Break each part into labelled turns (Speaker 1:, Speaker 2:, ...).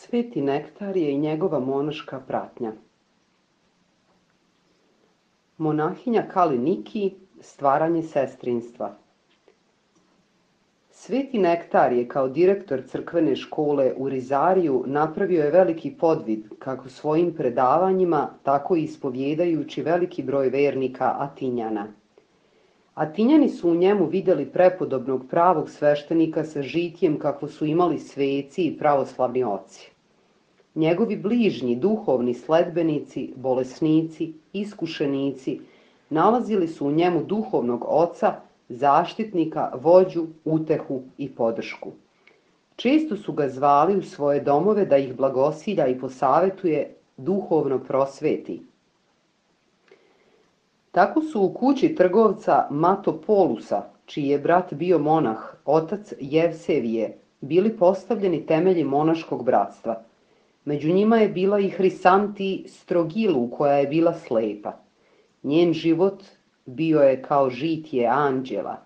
Speaker 1: Sveti Nektarije i njegova monaška pratnja. Monahinja Kali Niki, stvaranje sestrinstva. Sveti Nektarije kao direktor crkvene škole u Rizariju napravio je veliki podvid kako svojim predavanjima, tako i ispovjedajući veliki broj vernika Atinjana. Atinjani su u njemu vidjeli prepodobnog pravog sveštenika sa žitjem kako su imali sveci i pravoslavni oci. Njegovi bližnji duhovni sledbenici, bolesnici, iskušenici nalazili su u njemu duhovnog oca, zaštitnika, vođu, utehu i podršku. Često su ga zvali u svoje domove da ih blagosilja i posavetuje, duhovno prosveti. Tako su u kući trgovca Matopolusa, čiji je brat bio monah, otac Jevsevije, bili postavljeni temelji monaškog bratstva. Među njima je bila i Hrisanti Strogilu, koja je bila slepa. Njen život bio je kao žitje anđela,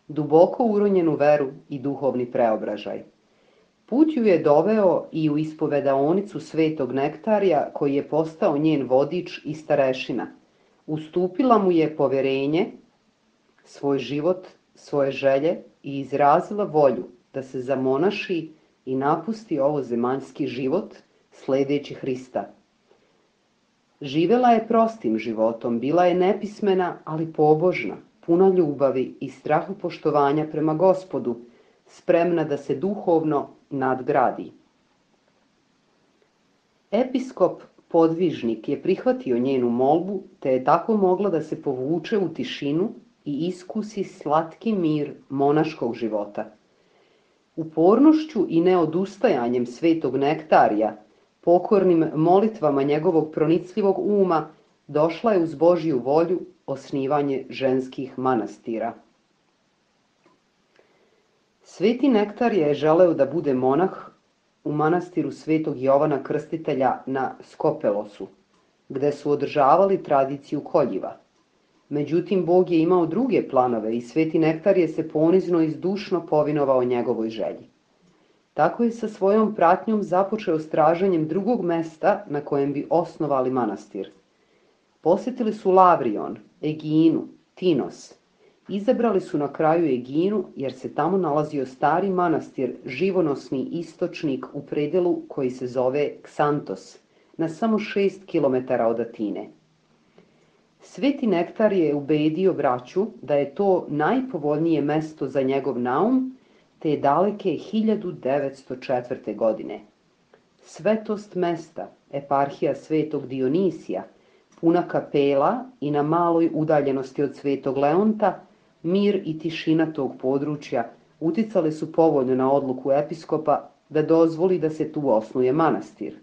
Speaker 1: duboko uronjen u veru i duhovni preobražaj. Put ju je doveo i u ispovedaonicu Svetog Nektarija, koji je postao njen vodič i starešina. Ustupila mu je poverenje, svoj život, svoje želje i izrazila volju da se zamonaši i napusti ovo zemaljski život, sledeći Hrista. Živela je prostim životom, bila je nepismena, ali pobožna, puna ljubavi i strahopoštovanja prema Gospodu, spremna da se duhovno nadgradi. Episkop podvižnik je prihvatio njenu molbu, te je tako mogla da se povuče u tišinu i iskusi slatki mir monaškog života. Upornošću i neodustajanjem Svetog Nektarija, pokornim molitvama njegovog pronicljivog uma, došla je uz Božju volju osnivanje ženskih manastira. Sveti Nektarije je želeo da bude monah u manastiru Svetog Jovana Krstitelja na Skopelosu, gde su održavali tradiciju koljiva. Međutim, Bog je imao druge planove i Sveti Nektarije se ponizno i zdušno povinovao njegovoj želji. Tako je sa svojom pratnjom započeo s traženjem drugog mesta na kojem bi osnovali manastir. Posjetili su Lavrion, Eginu, Tinos. Izabrali su na kraju Eginu jer se tamo nalazio stari manastir, živonosni istočnik u predelu koji se zove Ksantos, na samo 6 km od Atine. Sveti Nektarije je ubedio braću da je to najpovoljnije mesto za njegov naum, te je daleke 1904. godine. Svetost mesta, eparhija Svetog Dionisija, puna kapela i na maloj udaljenosti od Svetog Leonta, mir i tišina tog područja uticali su povoljno na odluku episkopa da dozvoli da se tu osnuje manastir.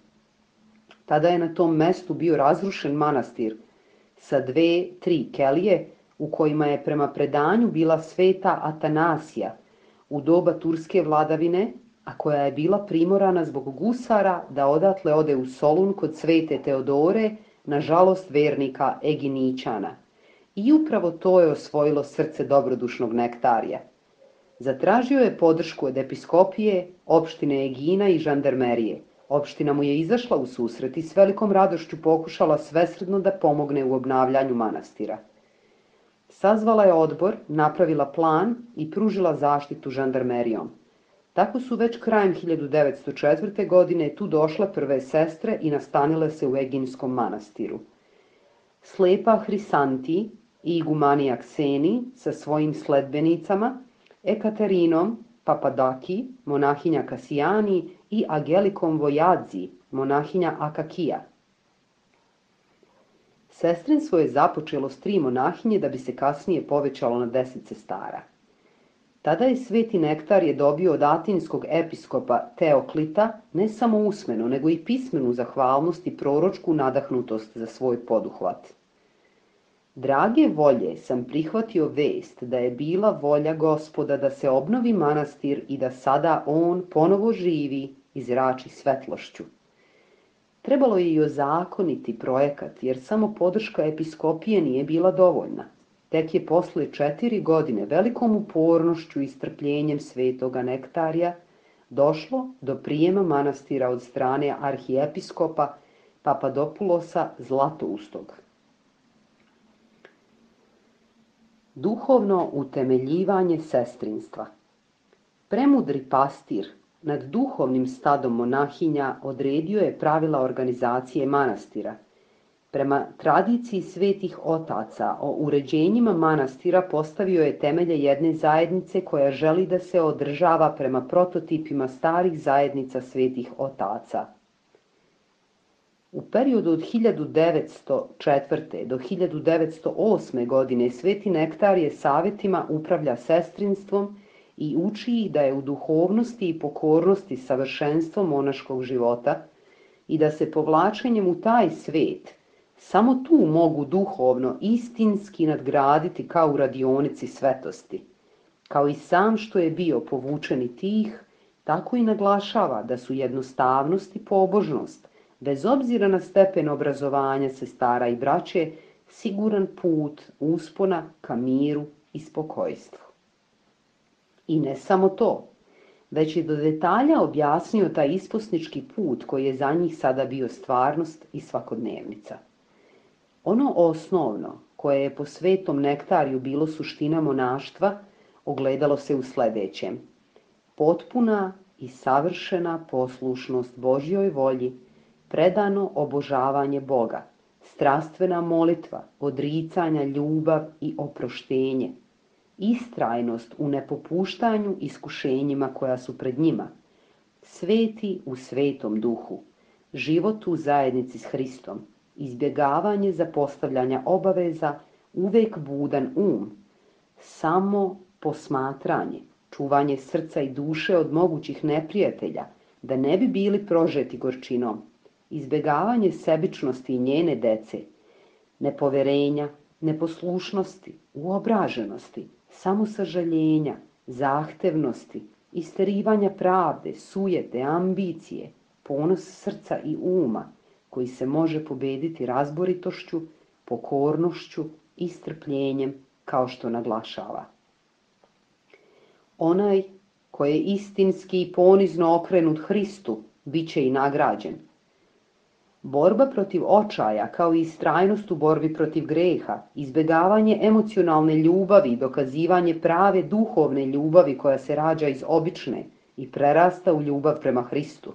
Speaker 1: Tada je na tom mestu bio razrušen manastir sa 2-3 kelije u kojima je prema predanju bila sveta Atanasija u doba turske vladavine, a koja je bila primorana zbog gusara da odatle ode u Solun kod svete Teodore, na žalost vernika Eginićana. I upravo to je osvojilo srce dobrodušnog Nektarija. Zatražio je podršku od episkopije, opštine Egina i žandarmerije. Opština mu je izašla u susret i s velikom radošću pokušala svesrdno da pomogne u obnavljanju manastira. Sazvala je odbor, napravila plan i pružila zaštitu žandarmerijom. Tako su već krajem 1904. godine tu došle prve sestre i nastanile se u Eginskom manastiru. Slepa Hrisanti i igumanija Kseni sa svojim sledbenicama, Ekaterinom Papadaki, monahinja Kasijani i Agelikom Vojadzi, monahinja Akakija. Sestrinstvo je započelo s 3 monahinje da bi se kasnije povećalo na 10 sestara. Tada je Sveti Nektarije dobio od atinskog episkopa Teoklita ne samo usmenu, nego i pismenu zahvalnost i proročku nadahnutost za svoj poduhvat. Drage volje sam prihvatio vest da je bila volja Gospoda da se obnovi manastir i da sada on ponovo živi i zrači svetlošću. Trebalo je i ozakoniti projekat, jer samo podrška episkopije nije bila dovoljna. Tek je posle 4 godine velikom upornošću i strpljenjem Svetoga Nektarija došlo do prijema manastira od strane arhijepiskopa Papadopulosa Zlatoustog. Duhovno utemeljivanje sestrinstva. Premudri pastir nad duhovnim stadom monahinja odredio je pravila organizacije manastira. Prema tradiciji svetih otaca o uređenjima manastira postavio je temelje jedne zajednice koja želi da se održava prema prototipima starih zajednica svetih otaca. U periodu od 1904. do 1908. godine Sveti Nektarije savjetima upravlja sestrinstvom i uči ih da je u duhovnosti i pokornosti savršenstvo monaškog života i da se povlačenjem u taj svet samo tu mogu duhovno istinski nadgraditi kao u radionici svetosti. Kao i sam što je bio povučen i tih, tako i naglašava da su jednostavnost i pobožnost, bez obzira na stepen obrazovanja sestara i braće, siguran put uspona ka miru i spokojstvu. I ne samo to, već je do detalja objasnio taj isposnički put koji je za njih sada bio stvarnost i svakodnevnica. Ono osnovno, koje je po Svetom Nektariju bilo suština monaštva, ogledalo se u sledećem: potpuna i savršena poslušnost Božjoj volji, predano obožavanje Boga, strastvena molitva, odricanja, ljubav i oproštenje, istrajnost u nepopuštanju iskušenjima koja su pred njima, sveti u svetom duhu, život u zajednici s Hristom, izbjegavanje zapostavljanja obaveza, uvek budan samo posmatranje, čuvanje srca i duše od mogućih neprijatelja, da ne bi bili prožeti gorčinom, izbjegavanje sebičnosti i njene dece, nepoverenja, neposlušnosti, uobraženosti, samosažaljenja, zahtevnosti, isterivanja pravde, sujete, ambicije, ponos srca i uma, koji se može pobediti razboritošću, pokornošću i strpljenjem, kao što naglašava. Onaj koji je istinski i ponizno okrenut Hristu, bit će i nagrađen. Borba protiv očaja, kao i istrajnost u borbi protiv greha, izbjegavanje emocionalne ljubavi i dokazivanje prave duhovne ljubavi koja se rađa iz obične i prerasta u ljubav prema Hristu.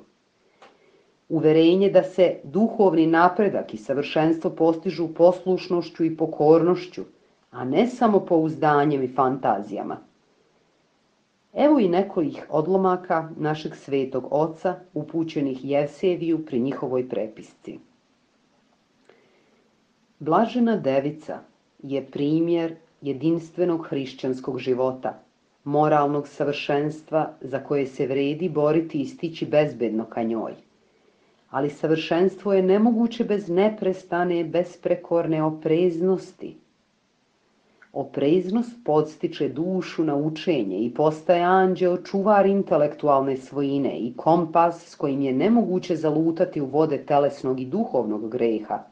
Speaker 1: Uverenje da se duhovni napredak i savršenstvo postižu poslušnošću i pokornošću, a ne samo pouzdanjem i fantazijama. Evo i nekojih odlomaka našeg svetog oca upućenih Jevseviju pri njihovoj prepisci. Blažena devica je primjer jedinstvenog hrišćanskog života, moralnog savršenstva za koje se vredi boriti i stići bezbedno ka njoj. Ali savršenstvo je nemoguće bez neprestane, besprekorne opreznosti. Opreznost podstiče dušu na učenje i postaje anđeo čuvar intelektualne svojine i kompas s kojim je nemoguće zalutati u vode telesnog i duhovnog greha,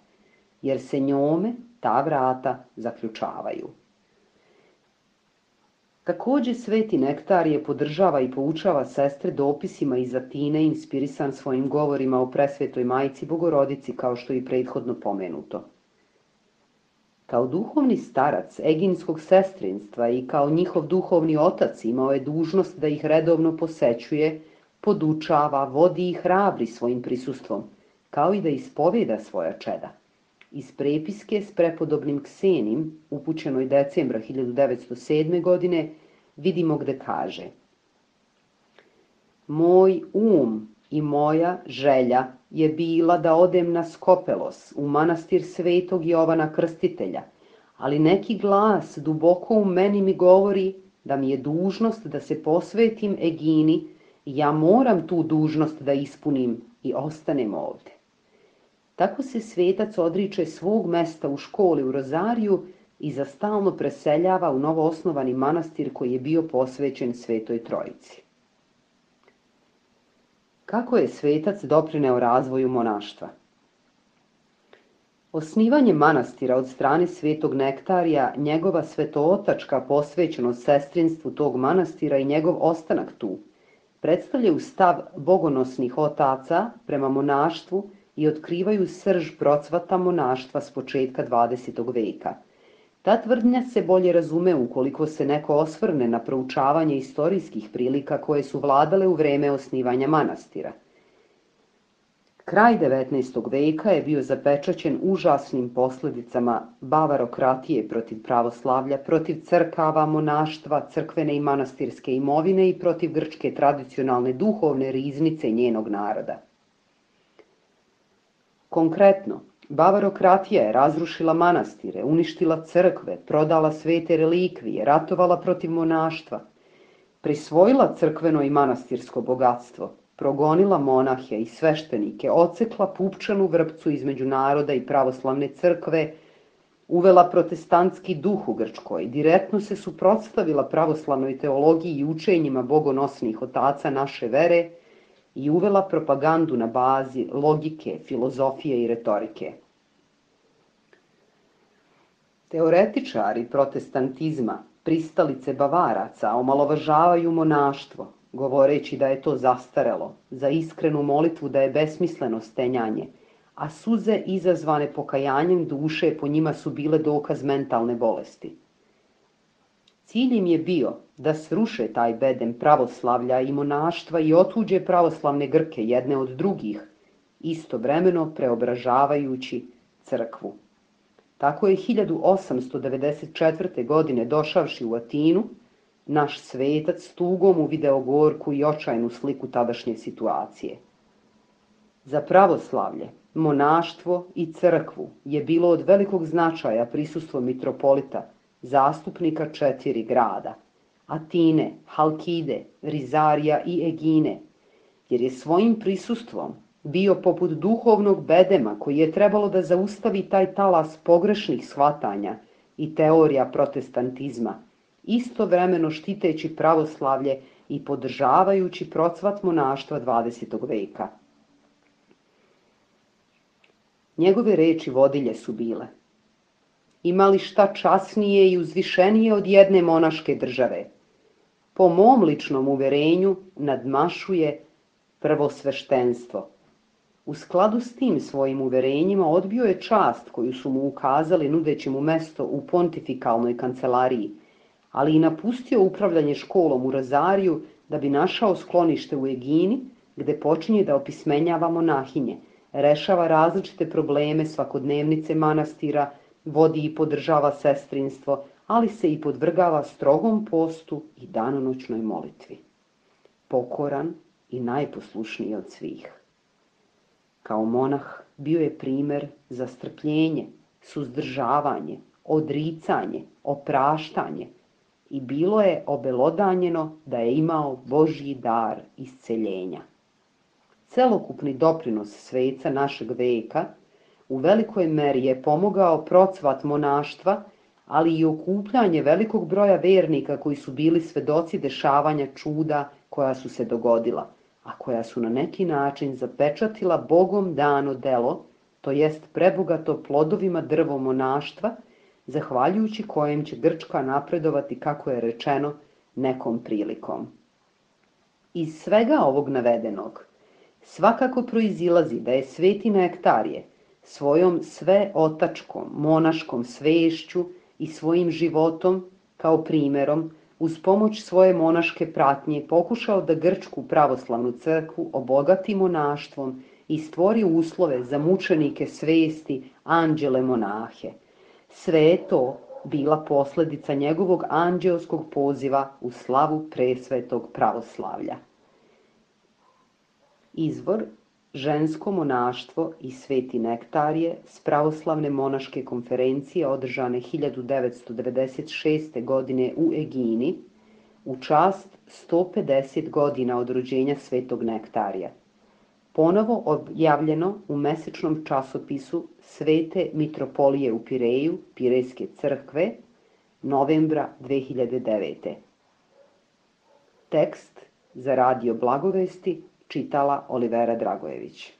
Speaker 1: jer se njome ta vrata zaključavaju. Takođe, Sveti Nektarije podržava i poučava sestre dopisima iz Atine inspirisan svojim govorima o presvetoj Majci Bogorodici, kao što je i prethodno pomenuto. Kao duhovni starac eginskog sestrinstva i kao njihov duhovni otac imao je dužnost da ih redovno posećuje, podučava, vodi i hrabri svojim prisustvom, kao i da ispoveda svoja čeda. Iz prepiske s prepodobnim Ksenim, upućenoj decembra 1907. godine, vidimo gde kaže: moj i moja želja je bila da odem na Skopelos, u manastir svetog Jovana Krstitelja, ali neki glas duboko u meni mi govori da mi je dužnost da se posvetim Egini i ja moram tu dužnost da ispunim i ostanem ovde. Tako se svetac odriče svog mesta u školi u Rozariju i za stalno preseljava u novoosnovani manastir koji je bio posvećen Svetoj Trojici. Kako je svetac doprineo razvoju monaštva? Osnivanje manastira od strane Svetog Nektarija, njegova svetootačka posvećenost sestrinstvu tog manastira i njegov ostanak tu, predstavljaju stav bogonosnih otaca prema monaštvu i otkrivaju srž procvata monaštva s početka 20. veka. Ta tvrdnja se bolje razume ukoliko se neko osvrne na proučavanje istorijskih prilika koje su vladale u vreme osnivanja manastira. Kraj 19. veka je bio zapečaćen užasnim posledicama bavarokratije protiv pravoslavlja, protiv crkava, monaštva, crkvene i manastirske imovine i protiv grčke tradicionalne duhovne riznice njenog naroda. Konkretno, bavarokratija je razrušila manastire, uništila crkve, prodala svete relikvije, ratovala protiv monaštva, prisvojila crkveno i manastirsko bogatstvo, progonila monahe i sveštenike, odsekla pupčanu vrpcu između naroda i pravoslavne crkve, uvela protestantski duh u Grčkoj, direktno se suprotstavila pravoslavnoj teologiji i učenjima bogonosnih otaca naše vere i uvela propagandu na bazi logike, filozofije i retorike. Teoretičari protestantizma, pristalice Bavaraca, omalovažavaju monaštvo, govoreći da je to zastarelo, za iskrenu molitvu da je besmisleno stenjanje, a suze izazvane pokajanjem duše po njima su bile dokaz mentalne bolesti. Cilj im je bio da sruše taj bedem pravoslavlja i monaštva i otuđe pravoslavne Grke jedne od drugih, istovremeno preobražavajući crkvu. Tako je 1894. godine došavši u Atinu, naš svetac s tugom uvideo gorku i očajnu sliku tadašnje situacije. Za pravoslavlje, monaštvo i crkvu je bilo od velikog značaja prisustvo mitropolita, zastupnika 4 grada, Atine, Halkide, Rizarija i Egine, jer je svojim prisustvom bio poput duhovnog bedema koji je trebalo da zaustavi taj talas pogrešnih shvatanja i teorija protestantizma, istovremeno štiteći pravoslavlje i podržavajući procvat monaštva 20. veka. Njegove reči vodilje su bile: ima li šta časnije i uzvišenije od jedne monaške države? Po mom ličnom uverenju nadmašuje prvosveštenstvo. U skladu s tim svojim uverenjima odbio je čast koju su mu ukazali nudeći mu mesto u pontifikalnoj kancelariji, ali i napustio upravljanje školom u Rozariju da bi našao sklonište u Egini, gde počinje da opismenjava monahinje, rešava različite probleme svakodnevnice manastira, vodi i podržava sestrinstvo, ali se i podvrgava strogom postu i danonoćnoj molitvi. Pokoran i najposlušniji od svih. Kao monah bio je primer za strpljenje, suzdržavanje, odricanje, opraštanje i bilo je obelodanjeno da je imao Božji dar isceljenja. Celokupni doprinos sveca našeg veka u velikoj meri je pomogao procvat monaštva, ali i okupljanje velikog broja vernika koji su bili svedoci dešavanja čuda koja su se dogodila, a koja su na neki način zapečatila Bogom dano delo, to jest prebogato plodovima drvo monaštva, zahvaljujući kojem će Grčka napredovati, kako je rečeno, nekom prilikom. Iz svega ovog navedenog svakako proizilazi da je sveti Nektarije svojom sveotačkom, monaškom svešću i svojim životom, kao primerom, uz pomoć svoje monaške pratnje pokušao da Grčku pravoslavnu crkvu obogati monaštvom i stvori uslove za mučenike svesti, anđele monahe. Sve je to bila posledica njegovog anđeoskog poziva u slavu presvetog pravoslavlja. Izvor: žensko monaštvo i sveti Nektarije s pravoslavne monaške konferencije održane 1996. godine u Egini u čast 150 godina od rođenja svetog Nektarija. Ponovo objavljeno u mesečnom časopisu Svete mitropolije u Pireju, Pirejske crkve, novembra 2009. Tekst za Radio Blagovesti čitala Olivera Dragojević.